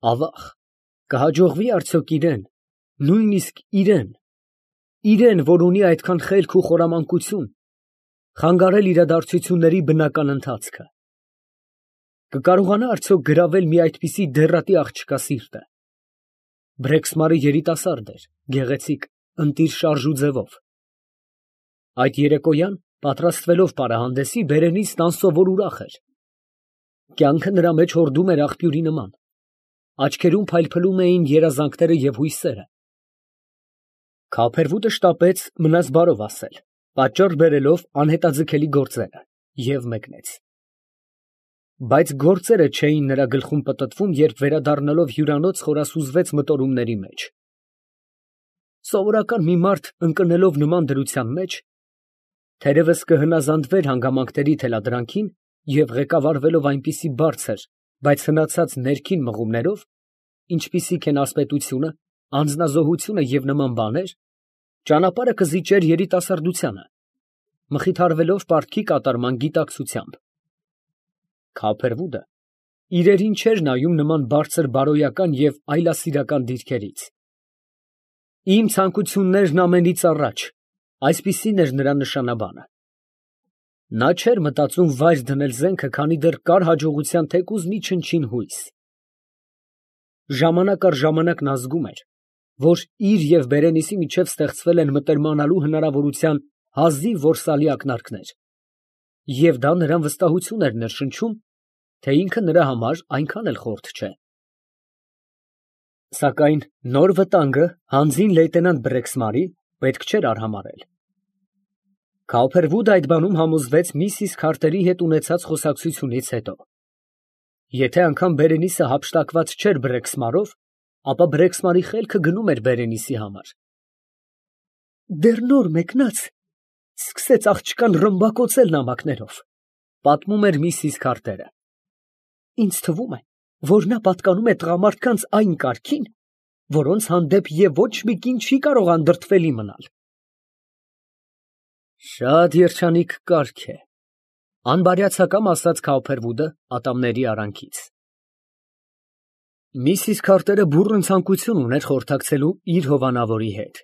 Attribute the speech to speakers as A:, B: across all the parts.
A: Ավաղ, կհաջողվի արդյոք իրեն, նույնիսկ իրեն, որ ունի այդքան խելք ու խորամանկություն, խանգարել իրադարձությունների բնական ընթացքը. կկարողանա արդյոք գրավել մի այդպիսի դեռատի աղջկա սիրտը։ Բրեքսմարը երիտասարդ էր, գեղեցիկ, ընտիր շարժու ձևով։ Այդ երեկոյան, պատրաստվելով պարահանդեսի, բերենիցն անսովոր ուրախ էր։ Կյանքը նրա մեջ հորդում էր աղբյուրի նման։ Աչքերում փայլփլում էին երազանքները և հույսերը։ Քափերվուտը շտապեց մնաս բարով ասել, պատճառ բերելով անհետաձգելի գործերը, և մեկնեց։ Բայց գործերը չէին նրա գլխում պտտվում, երբ վերադառնալով հյուրանոց խորասուզվեց մտորումների մեջ։ Սովորական մի մարդ ընկնելով նման դրության մեջ, թերևս կհնազանդվեր հանգամանքների թելադրանքին և ղեկավարվելով այնպիսի բարձր, բայց հնացած ներքին մղումներով, ինչպիսիք են ասպետությունը, անձնազոհությունը և նման բաներ, ճանապարհը կզիջեր երիտասարդությանը, մխիթարվելով պարտքի կատարման գիտակցությամբ։ Քափերվուդը իրերին չէր նայում նման բարձր բարոյական և այլասիրական դիրքերից։ Իմ ցանկություններն ամենից առաջ, այսպիսին էր նրա նշանաբանը։ Նա չէր մտածում վայր դնել զենքը, քանի դեռ կար հաջողության թեկուզ մի չնչին հույս։ Ժամանակ առ ժամանակ նա զգում էր, որ իր և Բերենիսի միջև ստեղծվել են մտերմանալու հնարավորության հազիվ որսալի ակնարկներ, և դա նրան վստահություն էր ներշնչում, թե ինքը նրա համար այնքան էլ խորթ չէ։ Սակայն նոր վտանգը հանձին լեյտենանտ Բրեքսմարի պետք չէր արհամարհել։ Քափերվուդը այդ բանում համոզվեց միսիս Քարտերի հետ ունեցած խոսակցությունից հետո։ Եթե անգամ Բերենիսը հափշտակված չէր Բրեքսմարով, ապա Բրեքսմարի խելքը գնում էր Բերենիսի համար։ Դեռ նոր մեկնած սկսեց աղջկան ռմբակոծել նամակներով, պատմում էր միսիս Քարտերը։ Ինձ թվում է, որ նա պատկանում է տղամարդկանց այն կարգին, որոնց հանդեպ և ոչ մի կին չի կարող անդրդվելի մնալ։ Շատ երջանիկ կարգ է, անբարյացակամ ասաց Քափերվուդը ատամների արանքից։ Միսիս Քարտերը բուռն ցանկություն ուներ խորհրդակցելու իր հովանավորի հետ։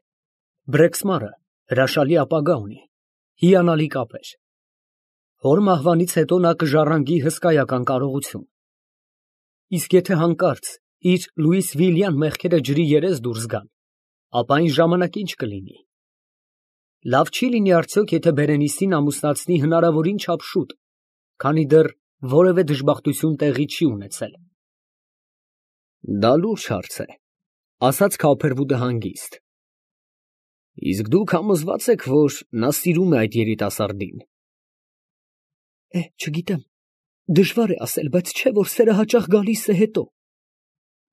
A: Բրեքսմարը հրաշալի ապագա ունի, հիանալի կապեր։ Հոր մահվանից հետո նա կժառանգի հսկայական կարողություն։ Իսկ եթե հանկարծ իր Լուիսվիլյան մեղքերը ջրի երես դուրս գան, ապա այն ժամանակ ինչ կլինի։ Լավ չի լինի արդյոք, եթե Բերենիսին ամուսնացնի հնարավորին չափ շուտ, քանի դեռ որևէ դժբախտություն տեղի չի ունեցել։ Դա լուրջ հարց է, ասաց Քափերվուդը հանգիստ։ Իսկ դուք համոզվա՞ծ եք, որ նա սիրում է այդ երիտասարդին։ Չգիտեմ, դժվար է ասել, բայց չէ՞ որ սերը հաճախ գալիս է հետո։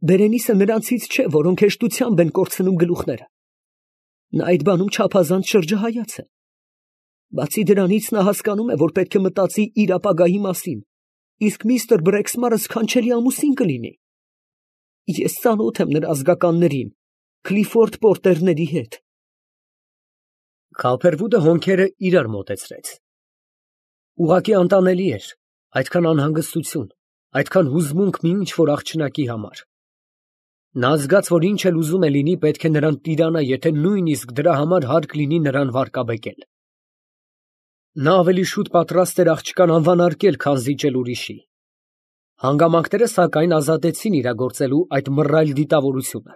A: Բերենիսը նրանցից չէ, որոնք հեշտությամբ են կորցնում գլուխները։ Նա այդ բանում չափազանց շրջահայաց է։ Բացի դրանից, նա հասկանում է, որ պետք է մտածի իր ապագայի մասին, իսկ միստր Բրեքսմարը սքանչելի ամուսին կլինի։ Ես ծանոթ եմ նրա ազգականներին, Քլիֆորդ Պորտերների հետ։ Քափերվուդը հոնքերը իրար մոտեցրեց։ Ուղղակի անտանելի էր այդքան անհանգստություն, այդքան հուզմունք մի ինչ֊որ աղջնակի համար։ Նա զգաց, որ ինչ էլ ուզում է լինի, պետք է նրան տիրանա, եթե նույնիսկ դրա համար հարկ լինի նրան վարկաբեկել։ Նա ավելի շուտ պատրաստ էր աղջկան անվանարկել, քան զիջել ուրիշի։ Հանգամանքները, սակայն, ազատեցին իրագործելու այդ մռայլ դիտավորությունը։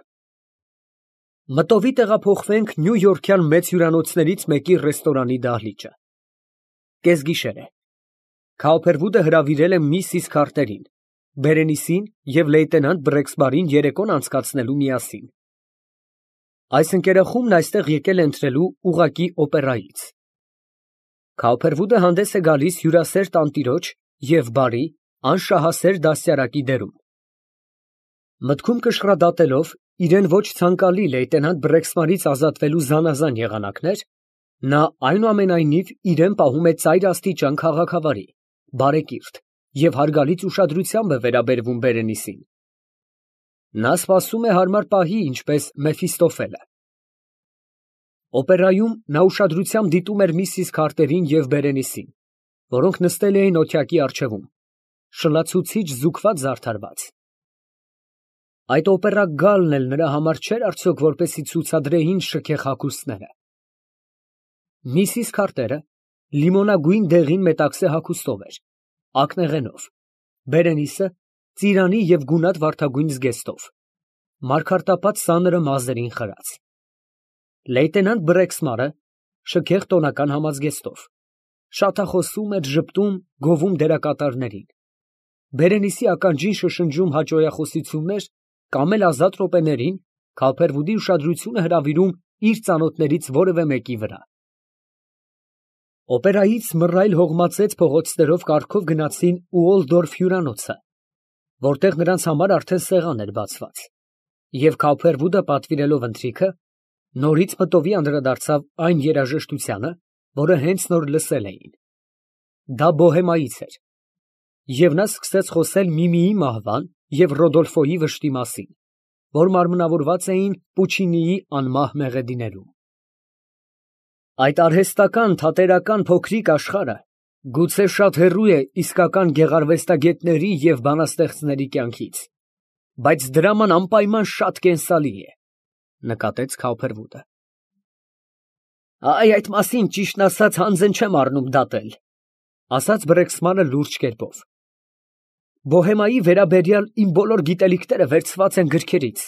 A: Մտովի տեղափոխվենք նյույորքյան մեծ հյուրանոցներից մեկի ռեստորանի դահլիճը։ Կեսգիշեր է։ Քափերվուդը հրավիրել է միսիս Քարտերին, Բերենիսին և լեյտենանտ Բրեքսմարին երեկոն անցկացնելու միասին։ Այս ընկերախումբն այստեղ եկել է ընթրելու ուղղակի օպերայից։ Քափերվուդը հանդես է գալիս հյուրասեր տանտիրոջ և բարի, անշահասեր դաստիարակի դերում։ Մտքում կշռադատելով իրեն ոչ ցանկալի լեյտենանտ Բրեքսմարից ազատվելու զանազան եղանակներ, նա այնուամենայնիվ իրեն պահում է ծայր աստիճան քաղաքավարի, բարեկիրթ և հարգալից ուշադրությամբ է վերաբերվում Բերենիսին։ Նա սպասում է հարմար պահի, ինչպես Մեֆիստոֆելը։ Օպերայում նա ուշադրությամբ դիտում էր միսիս Քարտերին և Բերենիսին, որոնք նստել էին օթյակի առջևում, շլացուցիչ զուգված զարդարված։ Այդ օպերա գալն էլ նրա համար չէր արդյոք, որպեսի ցուցադրեին շքեղ հագուստները։ Միսիս Քարտերը լիմոնագույն դեղին մետաքսե հագուստով էր, ակնեղենով, Բերենիսը ծիրանի և գունատ վարդագույն զգեստով, մարգարտապատ սանրը մազերին խրած։ Լեյտենանտ Բրեքսմարը շքեղ տոնական համազգեստով, շատախոսում էր, ժպտում, գովում դերակատարներին։ Բերենիսի ականջին շշնջում հաճոյախոսություններ կամ էլ ազատ րոպեներին Քալփերվուդի ուշադրությունը հրավիրում իր ծանոթներից որևէ մեկի վրա։ Օպերայից մռայլ հողմածեց փողոցներով կառքով գնացին Ուոլդորֆ հյուրանոցը, որտեղ նրանց համար արդեն սեղան էր բացված, և Քալփերվուդը պատվիրելով ընթրիքը, նորից մտովի անդրադարձավ այն երաժշտությանը, որը հենց նոր լսել էին։ Դա բոհեմայից էր, և նա սկսեց խոսել Միմիի մահվան և Ռոդոլֆոյի վշտի մասին, որ մարմնավորված էին Պուչինիի անմահ մեղեդիներում։ Այդ արհեստական թատերական փոքրիկ աշխարհը գուցե շատ հեռու է իսկական գեղարվեստագետների և բանաստեղծների կյանքից, բայց դրաման անպայման շատ կենսալի է, նկատեց Քալփերվուդը։ Այդ մասին, ճիշտն ասած, հանձն չեմ առնում դատել, ասաց Բրեքսմանը լուրջ կերպով։ Բոհեմայի վերաբերյալ իմ բոլոր գիտելիքները վերցված են գրքերից,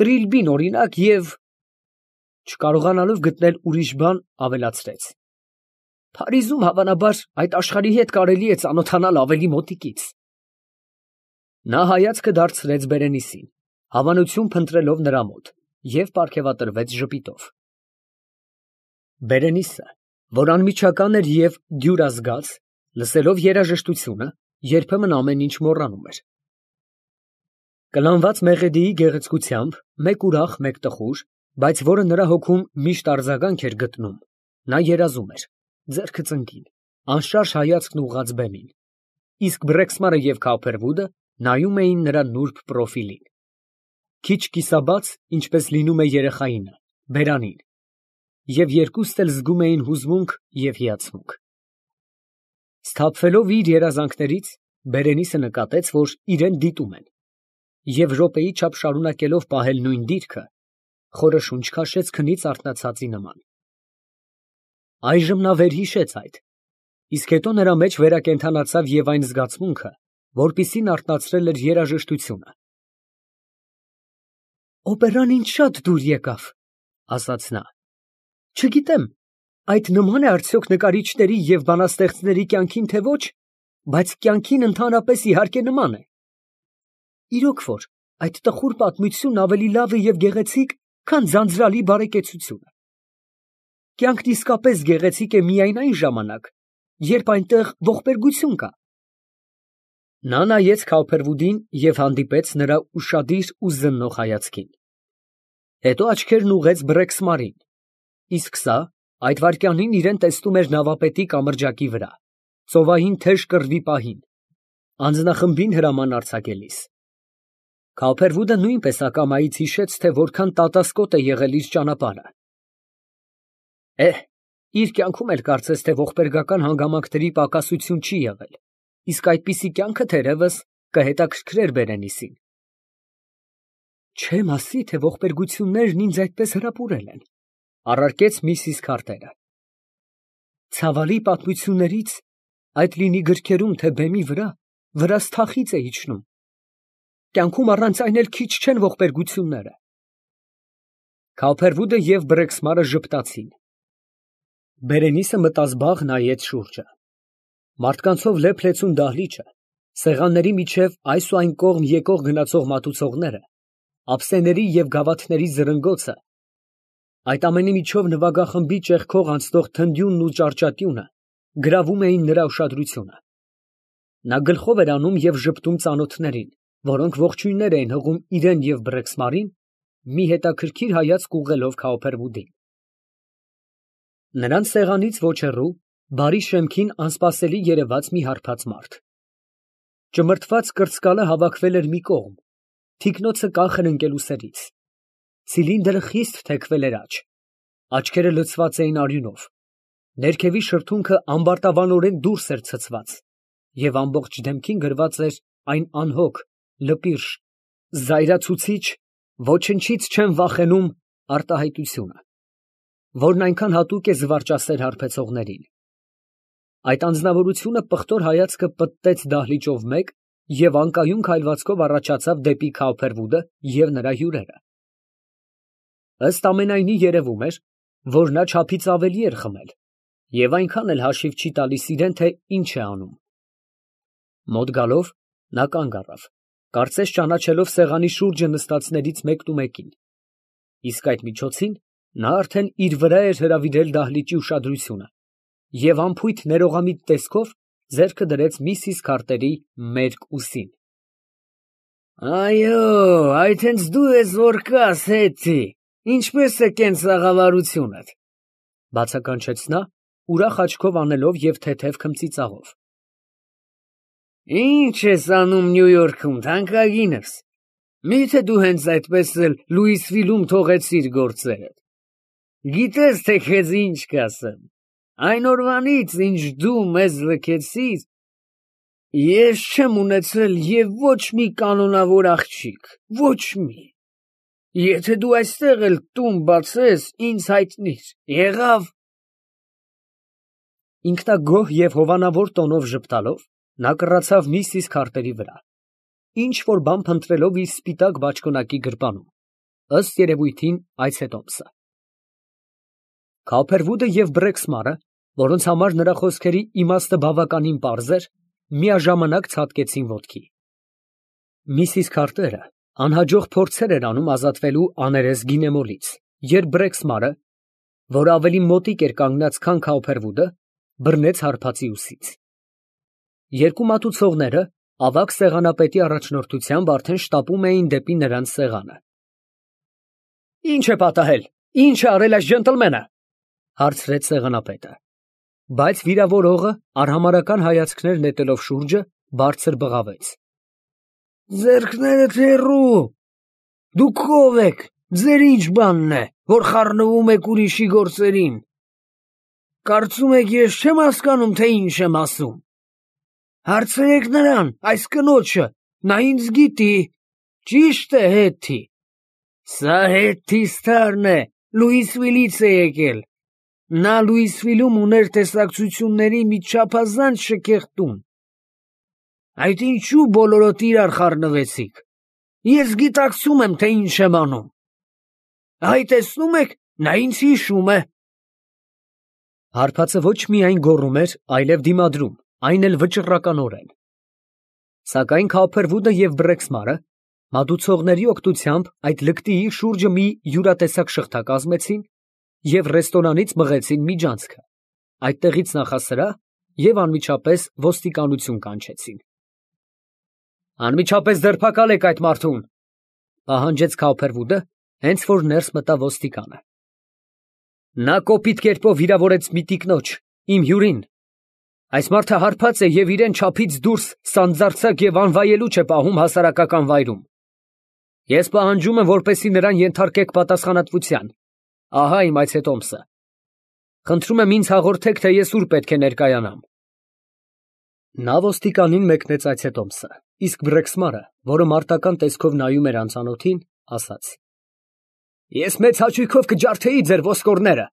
A: Տրիլբին օրինակ, և չկարողանալով գտնել ուրիշ բան, ավելացրեց. Փարիզում, հավանաբար, այդ աշխարհի հետ կարելի է ծանոթանալ ավելի մոտիկից։ Նա հայացքը դարձրեց Բերենիսին, հավանություն փնտրելով նրա մոտ, և պարգևատրվեց ժպիտով։ Բերենիսը, որ անմիջական էր և դյուրազգաց, լսելով երաժշտությունը, երբեմն ամեն ինչ մոռանում էր։ Կլանված մեղեդիի գեղեցկությամբ, մեկ ուրախ, մեկ տխուր, բայց որը նրա հոգում միշտ արձագանք էր գտնում, նա երազում էր, ձեռքը ծնկին, անշարժ հայացքն ուղղած բեմին, իսկ Բրեքսմարը և Քալփերվուդը նայում էին նրա նուրբ պրոֆիլին, քիչ կիսաբաց, ինչպես լինում է երեխայինը, բերանին, և երկուստ էլ զգում էին հուզմունք և հիացմունք։ Սթափվելով իր երազանքներից, Բերենիսը նկատեց, որ իրեն դիտում են, և րոպեի չափ շարունակելով պահել նույն դիրքը, խորը շունչ քաշեց քնից արթնացածի նման։ Այժմ նա վերհիշեց այդ, իսկ հետո նրա մեջ վերակենդանացավ և այն զգացմունքը, որպիսին արթնացրել էր երաժշտությունը։ Օպերան ինձ շատ դուր եկավ, ասաց նա։ Չգիտեմ, այդ նման է արդյոք նկարիչների և բանաստեղծների կյանքին, թե ոչ, բայց կյանքին ընդհանրապես իհարկե նման է։ Իրոք որ, այդ տխուր պատմությունն ավելի լավ է և գեղեցիկ, քան ձանձրալի բարեկեցությունը։ Կյանքն իսկապես գեղեցիկ է միայն այն ժամանակ, երբ այնտեղ ողբերգություն կա։ Նա նայեց Քալփերվուդին և հանդիպեց նրա ուշադիր ու զննող հայացքին։ Հետո աչքերն ուղղեց Բրեքսմարին, իսկ սա այդ վայրկյանին իրան տեսնում էր նավապետի կամրջակի վրա, ծովային թեժ կռվի պահին, անձնախմբին հրաման արձակելիս։ Քալփերվուդը նույնպես ակամայից հիշեց, թե որքան տատասկոտ է եղել իր ճանապարհը։ Իր կյանքում էլ կարծես թե ողբերգական հանգամանքների պակասություն չի եղել, իսկ այդպիսի կյանքը, թերևս, կհետաքրքրեր Բերենիսին։ Չեմ ասի, թե ողբերգություններն ինձ այդպես հրապուրել են, առարկեց միսիս Քարտերը։ Ցավալի պատմություններից, այդ լինի գրքերում, թե բեմի վրա, վրաս թախիծ է իջնում։ Կյանքում առանց այն էլ քիչ չեն ողբերգությունները։ Քալփերվուդը և Բրեքսմարը ժպտացին։ Բերենիսը մտազբաղ նայեց շուրջը։ Մարդկանցով լեփ֊լեցուն դահլիճը, սեղանների միջև այս ու այն կողմ եկող գնացող մատուցողները, ափսեների և գավաթների զրնգոցը, այդ ամենի միջով նվագախմբի ճեղքող անցնող թնդյունն ու ճարճատյունը գրավում էին նրա ուշադրությունը։ Նա գլխով էր անում և ժպտում ծանոթներին, որոնք ողջույններ էին հղում իրան և Բրեքսմարին, մի հետաքրքիր հայացք ուղղելով Քալփերվուդին։ Նրանց սեղանից ոչ հեռու, բարի շեմքին անսպասելի երևաց մի հարբած մարդ։ Ճմրթված կրծկալը հավաքվել էր մի կողմ, թիկնոցը կանխ էր ընկել ուսերից, ցիլինդրը խիստ թեքվել էր աջ, աչքերը լցված էին արյունով, ներքևի շրթունքը ամբարտավանորեն դուրս էր ցցված, և ամբողջ դեմքին գրված էր այն անհոգ, լպիրշ, զայրացուցիչ, ոչնչից չեմ վախենում արտահայտությունը, որն այնքան հատուկ է զվարճասեր հարբեցողներին։ Այդ անձնավորությունը պղտոր հայացքը պտտեց դահլիճով մեկ և անկայուն քայլվածքով առաջացավ դեպի Քավփերվուդը և նրա հյուրերը։ Ըստ ամենայնի երևում էր, որ նա չափից ավելի էր խմել և այնքան էլ հաշիվ չի տալիս իրեն, թե ինչ է անում։ Մոտ գալով, նա կանգ առավ, կարծես ճանաչելով սեղանի շուրջը նստածներից մեկնումեկին, իսկ այդ միջոցին նա արդեն իր վրա էր հրավիրել դահլիճի ուշադրությունը և անփույթ ներողամիտ տեսքով ձեռքը դրեց միսիս Քարտերի մերկ ուսին։
B: Այո, այդ հենց դու ես որ կաս, Հետty, ինչպես է կենցաղավարությունդ,
A: բացականչեց նա, ուրախ աչքով անելով և թեթև քմծիծաղով։
B: Ինչ ես անում Նյու Յորքում, թանկագինս, միթե դու հենց այդպես էլ Լուիսվիլում թողեցիր գործերդ։ Գիտես, թե քեզ ինչ կասեմ, այն օրվանից, ինչ դու մեզ լքեցիր, ես չեմ ունեցել և ոչ մի կանոնավոր աղջիկ, ոչ մի։ Եթե դու այստեղ էլ տուն բացես, ինձ հայտնիր, եղավ։
A: Ինքնագոհ և հովանավոր տոնով ժպտալով, նա կռացավ միսիս Քարտերի վրա, ինչ֊որ բան փնտրելով իր սպիտակ բաճկոնակի գրպանում, ըստ երևույթին այցետոմսը։ Քավփերվուդը և Բրեքսմարը, որոնց համար նրա խոսքերի իմաստը բավականին պարզ էր, միաժամանակ ցատկեցին ոտքի։ Միսիս Քարտերը անհաջող փորձեր էր անում ազատվելու աներես գինեմոլից, երբ Բրեքսմարը, որ ավելի մոտիկ էր կանգնած, քան Քավփերվուդը, բռնեց հարբածի ուսից։ Երկու մատուցողները, ավագ սեղանապետի առաջնորդությամբ, արդեն շտապում էին դեպի նրանց սեղանը։ Ի՞նչ է պատահել, ի՞նչ է արել այս ջենտլմենը, հարցրեց սեղանապետը, բայց վիրավորողը, արհամարհական հայացքներ նետելով շուրջը, բարձր բղավեց.
B: Ձեռքներդ հեռու, դուք ով եք, ձեր ինչ բանն է, որ խառնվում եք ուրիշի գործերին։ Կարծում եք ես չեմ հասկանում, թե ինչ եմ ասում։ Հարցրեք նրան, այս կնոջը, նա ինձ գիտի, ճիշտ է, Հետty։ Սա Հետty Ստարն է, Լուիսվիլից է եկել։ Նա Լուիսվիլում ուներ տեսակցությունների մի չափազանց շքեղ տուն։ Այդ ինչու բոլորոդ իրար խառնվեցիք։ Ես գիտակցում եմ, թե ինչ եմ անում։ Այ տեսնում եք, նա ինձ հիշում է։
A: Հարբածը ոչ միայն գոռում էր, այլև դիմադրում, այն էլ վճռականորեն։ Սակայն Քավփերվուդը և Բրեքսմարը մատուցողների օգնությամբ այդ լկտիի շուրջը մի յուրատեսակ շղթա կազմեցին և ռեստորանից մղեցին միջանցքը, այդտեղից նախասրահ և անմիջապես ոստիկանություն կանչեցին։ Անմիջապես ձերբակալեք այդ մարդուն, պահանջեց Քավփերվուդը, հենց որ ներս մտավ ոստիկանը։ Նա կոպիտ կերպով վիրավորեց մի տիկնոջ, իմ հյուրին։ Այս մարդը հարբած է և իրան չափից դուրս սանձարձակ և անվայելուչ է պահում հասարակական վայրում։ Ես պահանջում եմ, որպեսզի նրան ենթարկեք պատասխանատվության։ Ահա իմ այցետոմսը։ Խնդրում եմ ինձ հաղորդեք, թե ես ուր պետք է ներկայանամ։ Նա ոստիկանին մեկնեց այցետոմսը, իսկ Բրեքսմարը, որը մարտական տեսքով նայում էր անծանոթին, ասաց. Ես մեծ հաճույքով կջարդեի ձեր ոսկորները։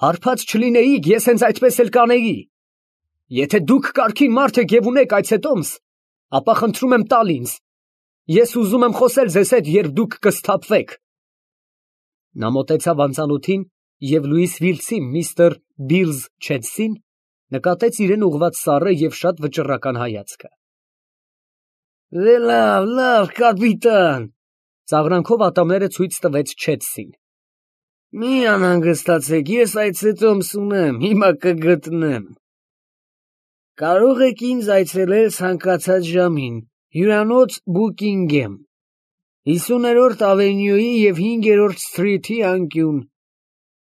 A: Հարբած չլինեիք, ես հենց այդպես էլ կանեի։ Եթե դուք կարգին մարդ եք և ունեք այցետոմս, ապա խնդրում եմ տալ ինձ։ Ես ուզում եմ խոսել ձեզ հետ, երբ դուք կսթափվեք։ Նա մոտեցավ անծանոթին և Լուիսվիլցի միստր Բիլզ Չեդսին նկատեց իրան ուղղված սառը և շատ վճռական հայացքը։
B: Լավ, կապիտան,
A: ծաղրանքով ատամները ցույց տվեց Չեդսին։
B: Մի անհանգստացեք, ես այցետոմս ունեմ, հիմա կգտնեմ։ Կարող եք ինձ այցելել ցանկացած ժամին, հյուրանոց Բուկինգեմ, 50-րդ ավենյուի և 5-րդ սթրիթի անկյուն։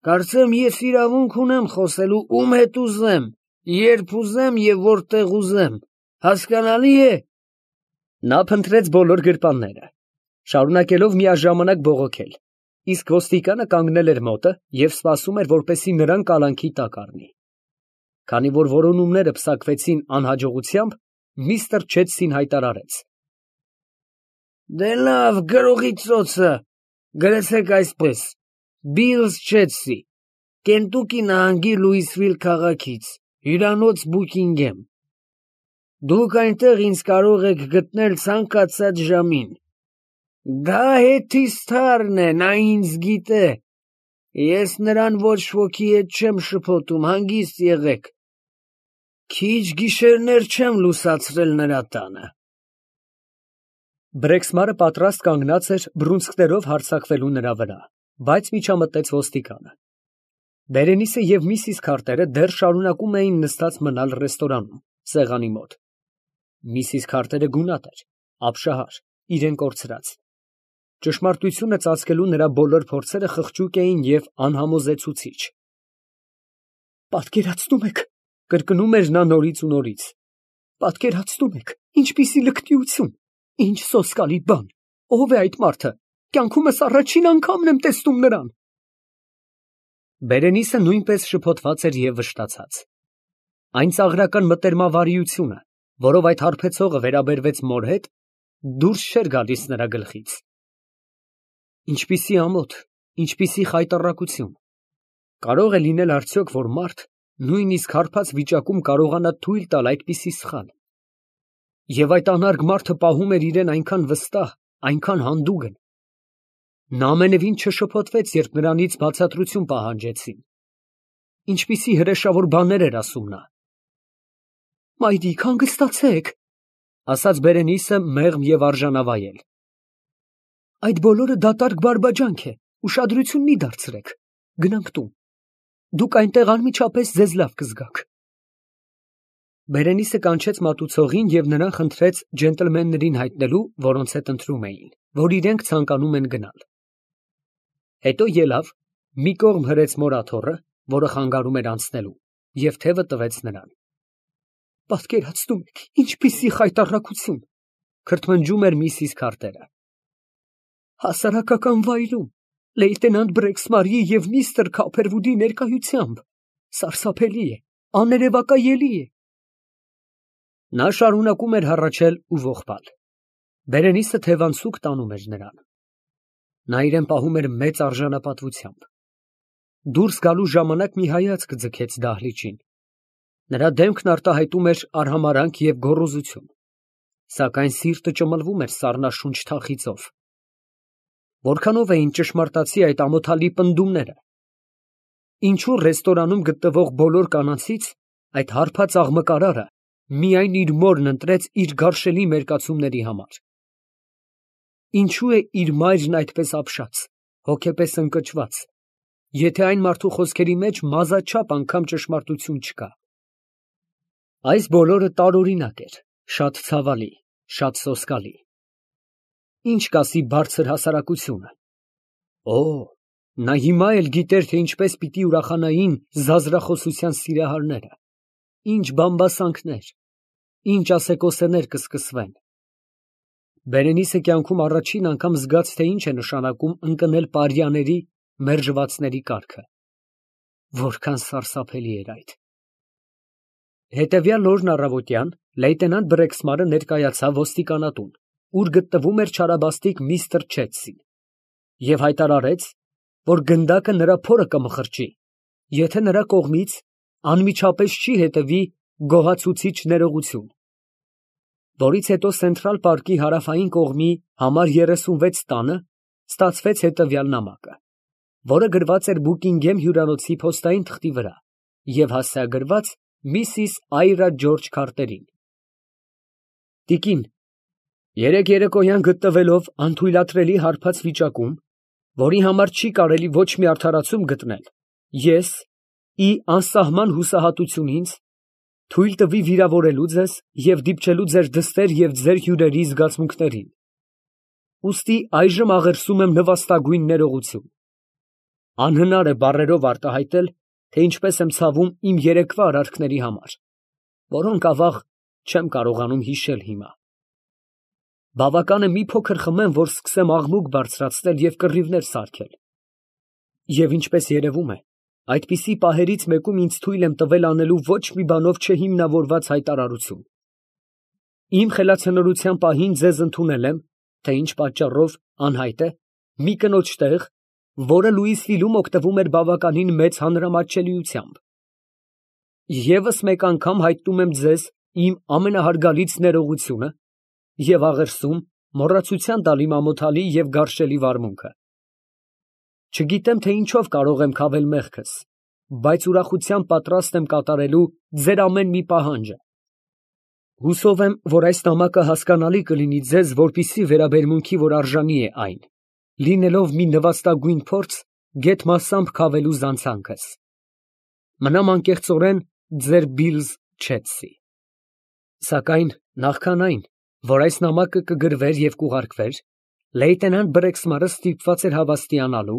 B: Կարծեմ ես իրավունք ունեմ խոսելու ում հետ ուզեմ, երբ ուզեմ և որտեղ ուզեմ, հասկանալի է։
A: Նա փնտրեց բոլոր գրպանները, շարունակելով միաժամանակ բողոքել, իսկ ոստիկանը կանգնել էր մոտը և սպասում էր, որպեսզի նրան կալանքի տակ առնի։ Քանի որ որոնումները պսակվեցին անհաջողությամբ, միստր Չեդսին հայտարարեց.
B: Դե լավ, գրողի ծոցը, գրեցեք այսպես, Բիլս Չեցսի, Կենտուկի նահանգի Լուիսվիլ քաղաքից, հյուրանոց Բուքինգեմ։ Դուք այնտեղ ինձ կարող եք գտնել ցանկացած ժամին։ Դա հետիստարն է, նա ինձ գիտե։ Ես նրան ոչ ոքի հետ չեմ շփոթում, հանգիստ եղեք։ Քիչ գիշերներ չեմ լուսացրել նրա տանը։
A: Բրեքսմարը պատրաստ կանգնած էր բռունցքներով հարձակվելու նրա վրա, բայց միջամտեց ոստիկանը։ Բերենիսը և միսիս Քարտերը դեռ շարունակում էին նստած մնալ ռեստորանում, սեղանի մոտ։ Միսիս Քարտերը գունատ էր, ապշահար, իրեն կորցրած։ Ճշմարտությունը ծածկելու նրա բոլոր փորձերը խղճուկ էին և անհամոզեցուցիչ։ Պատկերացնում եք, կրկնում էր նա նորից ու նորից։ Պատկերացնում եք, ինչպիսի լկտիություն, ինչ սոսկալի բան, ով է այդ մարդը, կյանքումս առաջին անգամն եմ տեսնում նրան։ Բերենիսը նույնպես շփոթված էր և վշտացած։ Այն ծաղրական մտերմավարիությունը, որով այդ հարբեցողը վերաբերվեց մոր հետ, դուրս չէր գալիս նրա գլխից։ Ինչպիսի ամոթ, ինչպիսի խայտառակություն։ Կարող է լինել արդյոք, որ մարդ նույնիսկ հարբած վիճակում կարողանա թույլ տալ այդպիսի սխալ։ Եվ այդ անարգ մարդը պահում էր իրեն այնքան վստահ, այնքան հանդուգն։ Նա ամենևին չշփոթվեց, երբ նրանից բացատրություն պահանջեցին։ Ինչպիսի հրեշավոր բաներ էր ասում նա։ Մայրիկ, հանգստացեք, ասաց Բերենիսը մեղմ և արժանավայել։ Այդ բոլորը դատարկ բարբաջանք է, ուշադրություն մի դարձրեք, գնանք տուն։ Դուք այնտեղ անմիջապես ձեզ լավ կզգաք։ Բերենիսը կանչեց մատուցողին և նրան խնդրեց ջենտլմեններին հայտնելու, որոնց հետ ընթրում էին, որ իրենք ցանկանում են գնալ։ Հետո ելավ, մի կողմ հրեց մոր աթոռը, որը խանգարում էր անցնելու, և թևը տվեց նրան։ Պատկերացնում եք, ինչպիսի խայտառակություն, քրթմնջում էր միսիս Քարտերը։ Հասարակական վայրում, լեյտենանտ Բրեքսմարի և միստր Քափերվուդի ներկայությամբ, սարսափելի է, աներևակայելի է։ Նա շարունակում էր հառաչել ու ողբալ։ Բերենիսը թևանցուկ տանում էր նրան։ Նա իրեն պահում էր մեծ արժանապատվությամբ։ Դուրս գալու ժամանակ մի հայացք ձգեց դահլիճին։ Նրա դեմքն արտահայտում էր արհամարհանք և գոռոզություն, սակայն սիրտը ճմլվում էր սառնաշունչ թախիծով։ Որքանով էին ճշմարտացի այդ ամոթալի պնդումները։ Ինչու ռեստորանում գտնվող բոլոր կանանցից այդ հարբած աղմկարարը միայն իր մորն ընտրեց իր գարշելի մերկացումների համար։ Ինչու է իր մայրն այդպես ապշած, հոգեպես ընկճված, եթե այն մարդու խոսքերի մեջ մազաչափ անգամ ճշմարտություն չկա։ Այս բոլորը տարօրինակ էր, շատ ցավալի, շատ սոսկալի։ Ինչ կասի բարձր հասարակությունը։ Օ, նա հիմա էլ գիտեր, թե ինչպես պիտի ուրախանային զազրախոսության սիրահարները, ինչ բամբասանքներ, ինչ ասեկոսեներ կսկսվեն։ Բերենիսը կյանքում առաջին անգամ զգաց, թե ինչ է նշանակում ընկնել պարյաների, մերժվածների կառքը։ Որքան սարսափելի էր այդ։ Հետևյալ օրն առավոտյան լեյտենանտ Բրեքսմարը ներկայացավ ոստիկանատուն, ուր գտնվում էր չարաբաստիկ միստր Չեցսին, և հայտարարեց, որ գնդակը նրա փորը կմխրճի, եթե նրա կողմից անմիջապես չի հետևի գոհացուցիչ ներողություն։ Որից հետո Սենտրալ պարկի հարավային կողմի համար 36 տանը ստացվեց հետևյալ նամակը, որը գրված էր Բուկինգեմ հյուրանոցի փոստային թղթի վրա և հասցեագրված Միսիս Այրա Ջորջ Քարտերին։ Տիկին, երեկ երեկոյան գտնվելով անթույլատրելի հարբած վիճակում, որի համար չի կարելի ոչ մի արդարացում գտնել, ես, ի անսահման հուսահատություն ինձ, թույլ տվի վիրավորելու ձեզ և դիպչելու ձեր դստեր և ձեր հյուրերի զգացմունքներին։ Ուստի այժմ աղերսում եմ նվաստագույն ներողություն։ Անհնար է բառերով արտահայտել, թե ինչպես եմ ցավում իմ երեկվա արարքների համար, որոնք, ավաղ, չեմ կարողանում հիշել հիմա։ Բավական է մի փոքր խմեմ, որ սկսեմ աղմուկ բարձրացնել և կռիվներ սարքել։ Եվ ինչպես երևում է, այդպիսի պահերից մեկում ինձ թույլ եմ տվել անելու ոչ մի բանով չհիմնավորված հայտարարություն։ Իմ խելացնորության պահին ձեզ ընդունել եմ թե ինչ պատճառով անհայտ է, մի կնոջ տեղ, որը Լուիսվիլում օգտվում էր բավականին մեծ հանրամատչելիությամբ։ Եվս մեկ անգամ հայտնում եմ ձեզ իմ ամենահարգալից ներողությունը և աղերսում մոռացության տալ իմ ամոթալի և գարշելի վարմունքը։ Չգիտեմ, թե ինչով կարող եմ քավել մեղքս, բայց ուրախությամբ պատրաստ եմ կատարելու ձեր ամեն մի պահանջը։ Հուսով եմ, որ այս նամակը հասկանալի կլինի ձեզ, որպեսզի վերաբերմունքի, որ արժանի է այն, լինելով մի նվաստագույն փորձ, գեթ մասամբ քավելու զանցանքս։ Մնամ անկեղծորեն ձեր Բիլզ Չեդսի։ Սակայն նախքան այն, որ այս նամակը կգրվեր և կուղարկվեր, լեյտենանտ Բրեքսմարը ստիպված էր հավաստիանալու,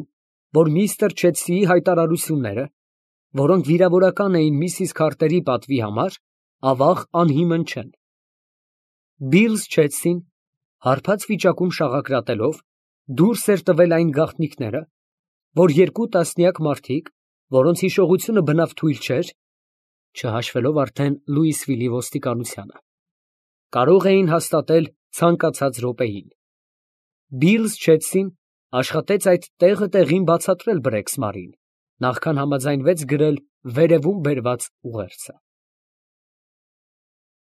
A: որ միստր Չեդսիի հայտարարությունները, որոնք վիրավորական էին միսիս Քարտերի պատվի համար, ավաղ անհիմն չեն։ Բիլզ Չեդսին, հարբած վիճակում շաղակրատելով, դուրս էր տվել այն գաղտնիքները, որ երկու տասնյակ մարդիկ, որոնց հիշողությունը բնավ թույլ չէր, չհաշվելով արդեն Լուիսվիլի ոստիկանությանը, կարող էին հաստատել ցանկացած րոպեին։ Բիլզ Չեդսին աշխատեց այդ տեղը տեղին բացատրել Բրեքսմարին, նախքան համաձայնվեց գրել վերևում բերված ուղերձը։